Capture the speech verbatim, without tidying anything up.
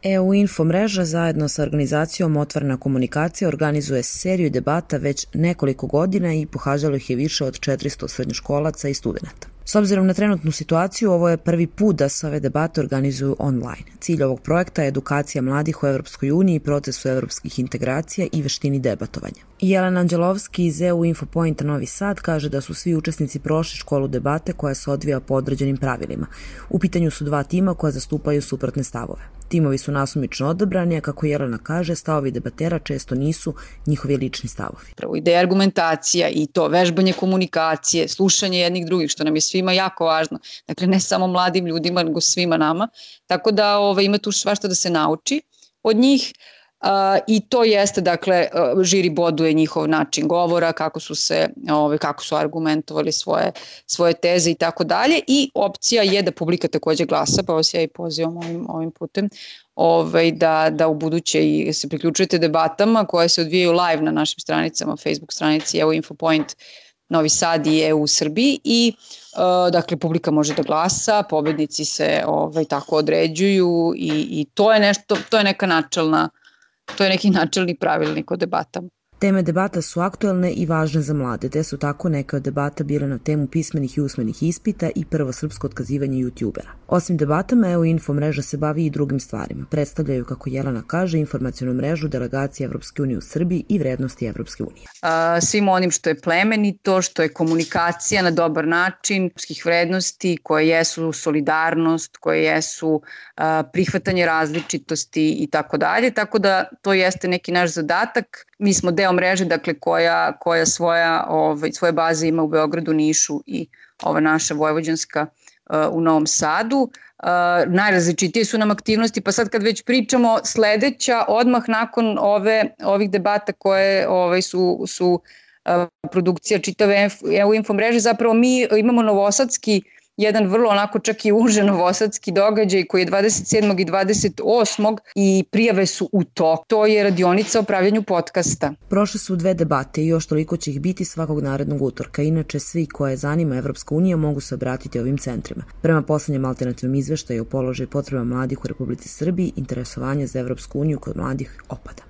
E U Info mreža zajedno sa organizacijom Otvorena komunikacija organizuje seriju debata već nekoliko godina i pohađalo ih je više od četiristo srednjoškolaca i studenata. S obzirom na trenutnu situaciju, ovo je prvi put da se ove debate organizuju online. Cilj ovog projekta je edukacija mladih o Evropskoj uniji, procesu evropskih integracija i veštini debatovanja. Jelena Anđelovski iz E U Info Pointa Novi Sad kaže da su svi učesnici prošli školu debate koja se odvija po određenim pravilima. U pitanju su dva tima koja zastupaju suprotne stavove. Timovi su nasumično odabrani, a kako Jelena kaže, stavovi debatera često nisu njihovi lični stavovi. Prvo, ideja argumentacija i to vežbanje komunikacije, slušanje jednih drugih, što nam je svima jako važno. Dakle, ne samo mladim ljudima, nego svima nama. Tako da ove, ima tu svašta da se nauči od njih. Uh, i to jeste, dakle, uh, žiri boduje njihov način govora, kako su se, ove, kako su argumentovali svoje, svoje teze i tako dalje, i opcija je da publika takođe glasa, pa vas ja i pozivam ovim, ovim putem, ove, da, da u buduće i se priključujete debatama koje se odvijaju live na našim stranicama, Facebook stranici E U Info Point Novi Sad i E U Srbiji i uh, dakle publika može da glasa, pobednici se ovaj, tako određuju i, i to je nešto, to je neka načelna To je neki načelni pravilnik o debatama. Teme debata su aktuelne i važne za mlade, te su tako neke od debata bile na temu pismenih i usmenih ispita i prvo srpsko otkazivanje youtubera. Osim debatama, E U Info mreža se bavi i drugim stvarima. Predstavljaju, kako Jelena kaže, informacionu mrežu delegacije Evropske unije u Srbiji i vrednosti Evropske unije. A, svim onim što je plemenito, što je komunikacija na dobar način, evropskih vrednosti koje jesu solidarnost, koje jesu a, prihvatanje različitosti i tako dalje. Tako da to jeste neki naš zadatak. Mi smo deo mreže, dakle, koja, koja svoja, ovaj, svoje baze ima u Beogradu, Nišu i ova naša vojvođanska uh, u Novom Sadu. Uh, najrazličitije su nam aktivnosti, pa sad kad već pričamo, sledeća, odmah nakon ove, ovih debata koje ovaj, su, su uh, produkcija čitave E U Info mreže, zapravo mi imamo novosadski jedan vrlo onako čak i uže novosadski događaj koji je dvadeset sedmog i dvadeset osmog i prijave su u toku. To je radionica o pravljenju podcasta. Prošle su dve debate i još toliko će ih biti svakog narednog utorka. Inače, svi koje zanima Evropska unija mogu se obratiti ovim centrima. Prema poslednjem alternativnom izveštaju o položaju potreba mladih u Republici Srbiji, interesovanje za Evropsku uniju kod mladih opada.